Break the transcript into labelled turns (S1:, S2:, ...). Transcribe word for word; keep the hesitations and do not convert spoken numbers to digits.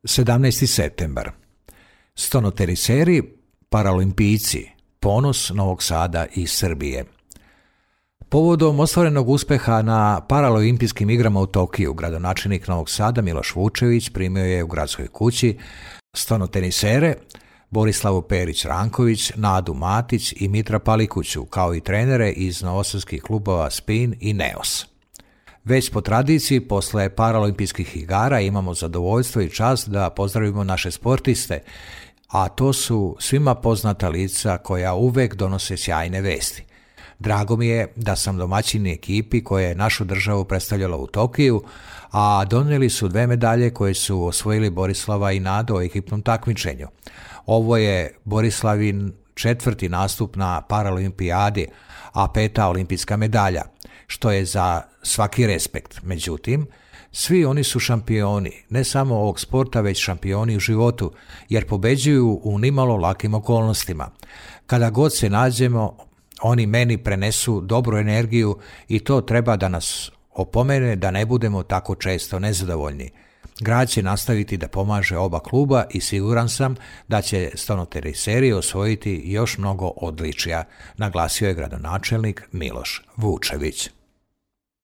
S1: sedamnaesti septembar. Stonoteriseri, paraolimpijci, ponos Novog Sada i Srbije. Povodom ostvarenog uspeha na paraolimpijskim igrama u Tokiju, gradonačelnik Novog Sada Miloš Vučević primio je u gradskoj kući stonotenisere Borislavu Perić-Ranković, Nadu Matić i Mitra Palikuću, kao i trenere iz novosadskih klubova Spin i Neos. Već po tradiciji, posle paraolimpijskih igara imamo zadovoljstvo i čast da pozdravimo naše sportiste, a to su svima poznata lica koja uvek donose sjajne vesti. Drago mi je da sam domaćin ekipi koja je našu državu predstavljala u Tokiju, a donijeli su dve medalje koje su osvojili Borislava i Nado u ekipnom takmičenju. Ovo je Borislavin četvrti nastup na paraolimpijadi, a peta olimpijska medalja, što je za svaki respekt. Međutim, svi oni su šampioni, ne samo ovog sporta, već šampioni u životu, jer pobeđuju u nimalo lakim okolnostima. Kada god se nađemo, oni meni prenesu dobru energiju i to treba da nas opomene da ne budemo tako često nezadovoljni. Grad će nastaviti da pomaže oba kluba i siguran sam da će stonoteriseri osvojiti još mnogo odličja, naglasio je gradonačelnik Miloš Vučević.